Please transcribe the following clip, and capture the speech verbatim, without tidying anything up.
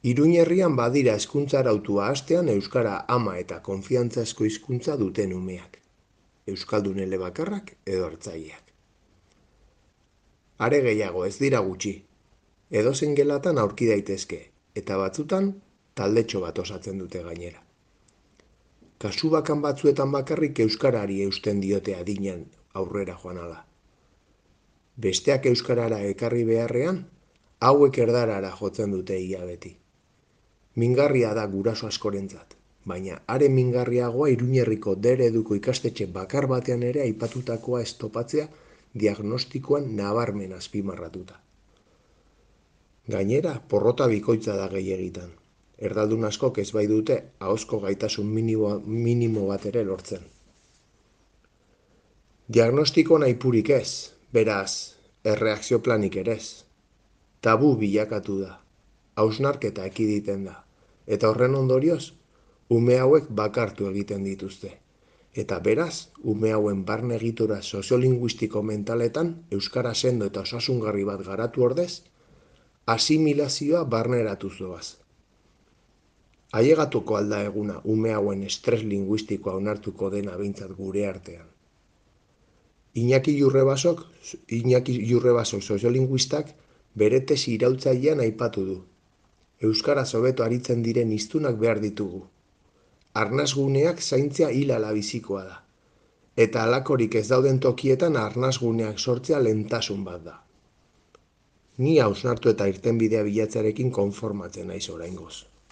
Iruñerrian badira hezkuntza arautua hastean euskara ama eta konfiantzazko hizkuntza duten umeak. Euskaldun elebakarrak edo hartzaileak. Are gehiago ez dira gutxi. Edozein gelatan aurki daitezke, eta batzutan taldetxo bat osatzen dute gainera. Kasu bakan batzuetan bakarrik euskarari eusten diote adinean aurrera joan ala. Besteak euskarara ekarri beharrean, hauek erdarara jotzen dute ia beti. Mingarria da guraso askorentzat, baina are mingarriagoa Iruñerriko D ereduko ikastetxe bakar batean ere aipatutakoa ez topatzea diagnostikoan nabarmen azpimarratuta. Gainera, porrota bikoitza da gehiegitan. Erdaldun askok ez bai dute ahozko gaitasun minimo, minimo bat ere lortzen. Diagnostiko nahipurik ez, beraz, erreakzio planik ere ez. Tabu bilakatu da, hausnarketa ekiditen da, eta horren ondorioz, ume hauek bakartu egiten dituzte. Eta beraz, ume hauen barne egitura soziolinguistiko mentaletan euskara sendo eta osasungarri bat garatu ordez, asimilazioa barneratu zoaz. Ailegatuko alda eguna ume hauen estres linguistikoa onartuko dena behintzat gure artean. Iñaki Jurrebasok, Iñaki Jurrebasok soziolinguistak bere tesi iraultzailean aipatu du. Euskaraz hobeto aritzen diren hiztunak behar ditugu. Arnasguneak zaintzea hilala bizikoa da. Eta halakorik ez dauden tokietan arnasguneak sortzea lehentasun bat da. Ni hausnartu eta irtenbidea bilatzearekin konformatzen naiz oraingoz.